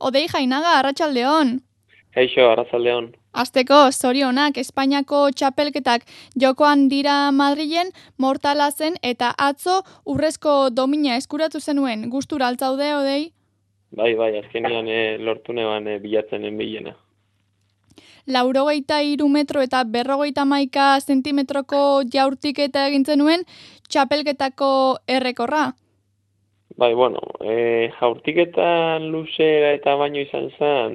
Odei Jainaga, arratsaldeon. Eixo, arratsaldeon. Asteko, zorionak, Espainiako txapelketak jokoan dira Madrilen, mortala zen eta atzo urrezko domina eskuratu zenuen. Gustura altzaude, Odei? Bai, azkenean lortu neban bilatzen enbilena. 83 metro eta 51 zentimetroko jaurtiketa egin zenuen txapelketako errekorra. Bai, bueno, jaurtiketan luzera eta baino izan zen,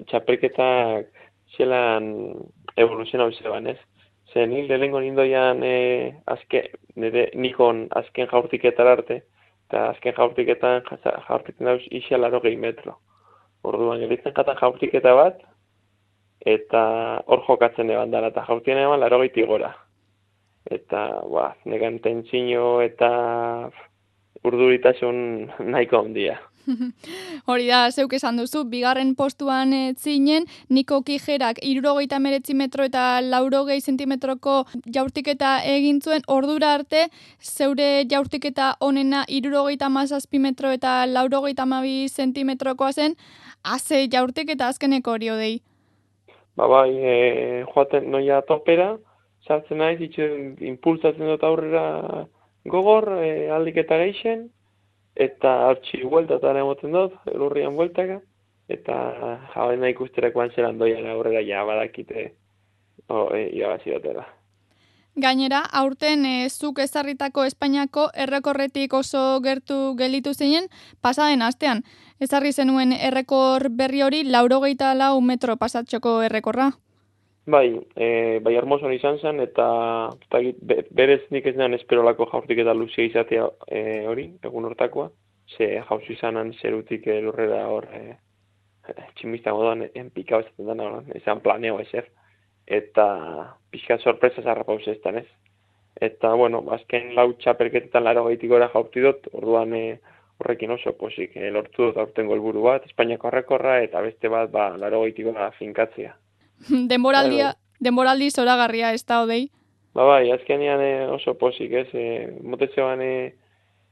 txapelketak zelan evoluzionau zeban, ez? Zer, nik lehenengo nindoian nikon azken jaurtiketara arte, eta azken jaurtiketan dauz isa 80 metro. Orduan, geritzen jatan jaurtiketa bat, eta hor jokatzen eban dara, eta jaurtien eban 80 gora. Eta, negan tentsio eta urduritasun nahiko handia. Hori da, zeuk esan duzu, bigarren postuan zinen, Niko Kijerak 79 metro eta 80 zentimetroko jaurtiketa egin zuen, ordura arte, zeure jaurtiketa onena 77 metro eta 82 zentimetrokoa zen, haze jaurtiketa azkeneko hori Odei. Joaten noia topera, sartzen naiz, impulsatzen dut aurrera gogor, aldik eta geixen, eta hartxi bueltatara emoten dut, lurrian bueltaka, eta jabaina ikusterakoan zelan doian aurrera ja badakite irabazi batera. Gainera, aurten zuk ezarritako Espainiako errekorretik oso gertu gelditu zinen, pasaden astean. Ezarri zenuen errekor berri hori 84 metro pasatxoko errekorra. Bai, hermoson izan zen, eta berez nik ez nean esperolako jaurtik eta luzia izatea hori, egun hortakoa. Ze jauzi izanan zerutik lurrera hor tximista moduan enpikau ezaten dena, ezan planeo ezer. Eta pixka sorpresa zarrapauz eztan ez. Eta, bueno, azken lau txapelketetan 80 gora jaurti dut, orduan horrekin oso posik lortu dut aurtengo helburu bat, Espainiako errekorra, eta beste bat 80 gora finkatzea. Denboraldi zoragarria ez da Odei? Bai, azkenean oso posik, ez? Motetzean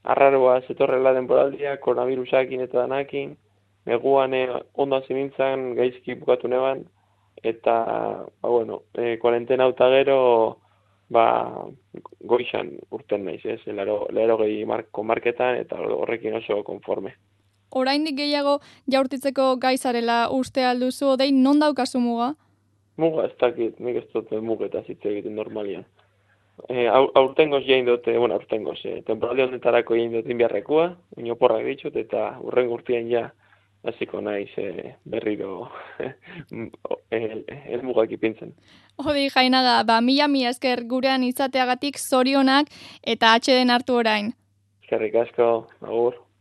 arraroa zetorrela denboraldia, koronavirusakin eta danakin, neguan ondan zinintzen gaizki bukatu neban, eta, kuarentena eta gero, goizan urten naiz, ez? 80 marketan, eta horrekin oso konforme. Oraindik gehiago jaurtitzeko gaizarela uste alduzu Odei, non daukazu muga? Muga ez dakit, nik ez dut mugeta hitz egiten normalian. Aurtengoz jain dut, aurtengoz, temporaldi honetarako jain dut inbiarrekoa, inoporrak ditut, eta urren urtean ja hasiko naiz berriro helmugak ipintzen. Odei Jainaga, mila esker gurean izateagatik zorionak eta atxeden hartu orain. Eskerrik asko, agur.